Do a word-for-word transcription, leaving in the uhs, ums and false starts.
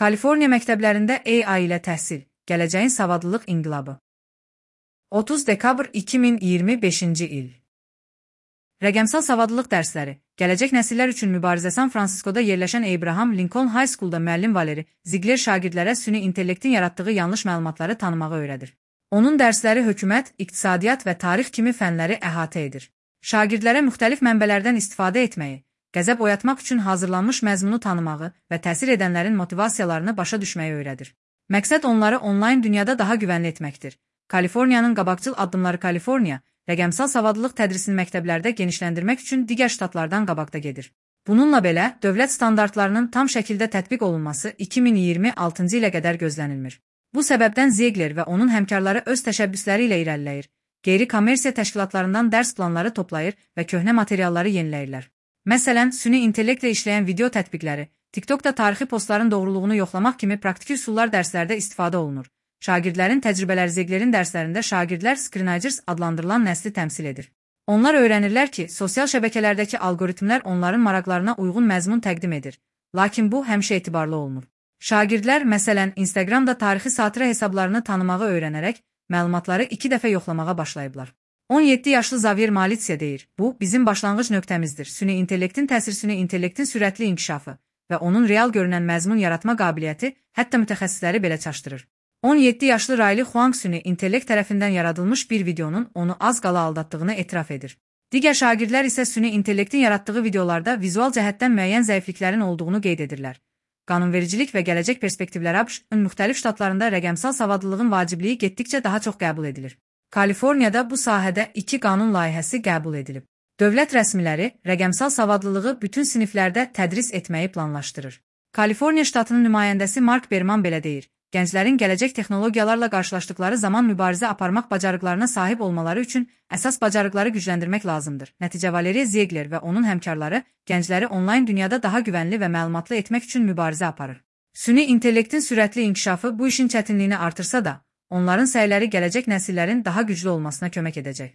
Kaliforniya məktəblərində A I ilə təhsil, gələcəyin savadlılıq inqilabı. otuz dekabr iki min iyirmi beşinci il. Rəqəmsal savadlılıq dərsləri, gələcək nəsillər üçün mübarizə. San Fransiskoda yerləşən Abraham Lincoln High School'da müəllim Valeri Ziegler şagirdlərə süni intellektin yaratdığı yanlış məlumatları tanımağı öyrədir. Onun dərsləri hökumət, iqtisadiyyat və tarix kimi fənləri əhatə edir. Şagirdlərə müxtəlif mənbələrdən istifadə etməyi, qəzəb oyatmaq üçün hazırlanmış məzmunu tanımağı və təsir edənlərin motivasiyalarını başa düşməyi öyrədir. Məqsəd onları onlayn dünyada daha güvənli etməkdir. Kaliforniyanın qabaqcıl addımları. Kaliforniya, rəqəmsal savadlılıq tədrisini məktəblərdə genişləndirmək üçün digər ştatlardan qabaqda gedir. Bununla belə, dövlət standartlarının tam şəkildə tətbiq olunması iki min iyirmi altıncı ilə qədər gözlənilmir. Bu səbəbdən Ziegler və onun həmkarları öz təşəbbüsləri ilə irəliləyir, qeyri-kommersiya təşkilatlarından dərs planları toplayır və köhnə materialları yeniləyirlər. Məsələn, süni intellektlə işləyən video tətbiqləri, TikTokda tarixi postların doğruluğunu yoxlamaq kimi praktiki üsullar dərslərdə istifadə olunur. Şagirdlərin təcrübələri. Zieglerin dərslərində şagirdlər screenagers adlandırılan nəsli təmsil edir. Onlar öyrənirlər ki, sosial şəbəkələrdəki alqoritmlər onların maraqlarına uyğun məzmun təqdim edir. Lakin bu həmişə etibarlı olmur. Şagirdlər, məsələn, Instagramda tarixi satira hesablarını tanımağı öyrənərək, məlumatları iki dəfə yoxlamağa başlayıblar. on yeddi yaşlı Xavier Malizia deyir, bu, bizim başlanğıc nöqtəmizdir. Süni intellektin təsir süni intellektin sürətli inkişafı və onun real görünən məzmun yaratma qabiliyyəti hətta mütəxəssisləri belə çaşdırır. on yeddi yaşlı Riley Huang süni intellekt tərəfindən yaradılmış bir videonun onu az qala aldatdığını etiraf edir. Digər şagirdlər isə süni intellektin yaratdığı videolarda vizual cəhətdən müəyyən zəifliklərin olduğunu qeyd edirlər. Qanunvericilik və gələcək perspektivləri. A B Ş-ın müxtəlif ştatlarında rəqəmsal savadlılığın vacibliyi getdikcə daha çox qəbul edilir. Kaliforniyada bu sahədə iki qanun layihəsi qəbul edilib. Dövlət rəsmiləri rəqəmsal savadlılığı bütün siniflərdə tədris etməyi planlaşdırır. Kaliforniya ştatının nümayəndəsi Mark Berman belə deyir, gənclərin gələcək texnologiyalarla qarşılaşdıqları zaman mübarizə aparmaq bacarıqlarına sahib olmaları üçün əsas bacarıqları gücləndirmək lazımdır. Nəticə Valeri Ziegler və onun həmkarları gəncləri onlayn dünyada daha güvənli və məlumatlı etmək üçün mübarizə aparır. Süni intellektin sürətli inkişafı bu işin çətinliyini artırsa da, onların səyləri gələcək nəsillərin daha güclü olmasına kömək edəcək.